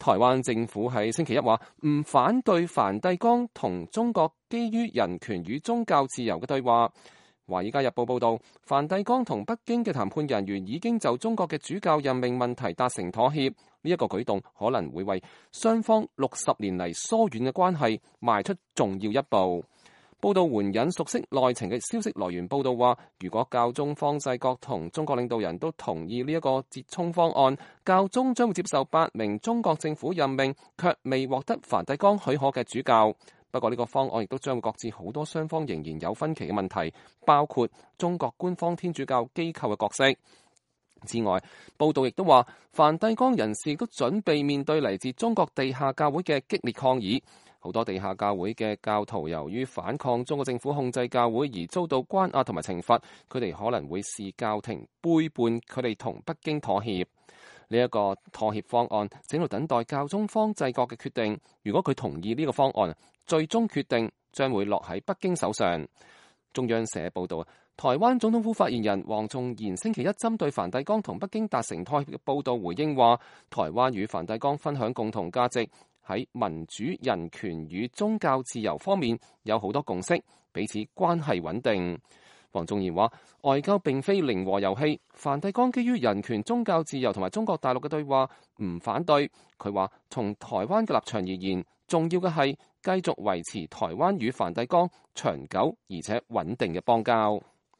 台灣政府喺星期一話唔反對梵蒂岡同中國基於人權與宗教自由嘅對話。《華爾街日報》報導，梵蒂岡同北京嘅談判人員已經就中國嘅主教任命問題達成妥協，呢一個舉動可能會為雙方60年嚟疏遠嘅關係邁出重要一步。報道援引熟悉內情嘅消息來源報道話，如果教宗方濟各同中國領導人都同意呢一個折衷方案，教宗將會接受8名中國政府任命卻未獲得梵蒂岡許可嘅主教。不過呢個方案亦都將會擱置好多雙方仍然有分歧嘅問題，包括中國官方天主教機構嘅角色。之外，報道亦都話，梵蒂岡人士都準備面對嚟自中國地下教會嘅激烈抗議。好多地下教會嘅教徒由於反抗中國政府控制教會而遭到關押同埋懲罰，佢哋可能會視教廷背叛佢哋同北京妥協。呢一個妥協方案正喺度等待教宗方濟各嘅決定。如果佢同意呢個方案，最終決定將會落喺北京手上。中央社報道，台灣總統府發言人黃仲賢星期一針對梵蒂岡同北京達成妥協嘅報道回應話，台灣與梵蒂岡分享共同價值，喺民主、人權與宗教自由方面有好多共識，彼此關係穩定。黃仲賢話，外交並非零和遊戲，梵蒂岡基於人權、宗教自由同埋中國大陸嘅對話唔反對。佢話，從台灣嘅立場而言，重要嘅係繼續維持台灣與梵蒂岡長久而且穩定嘅邦交。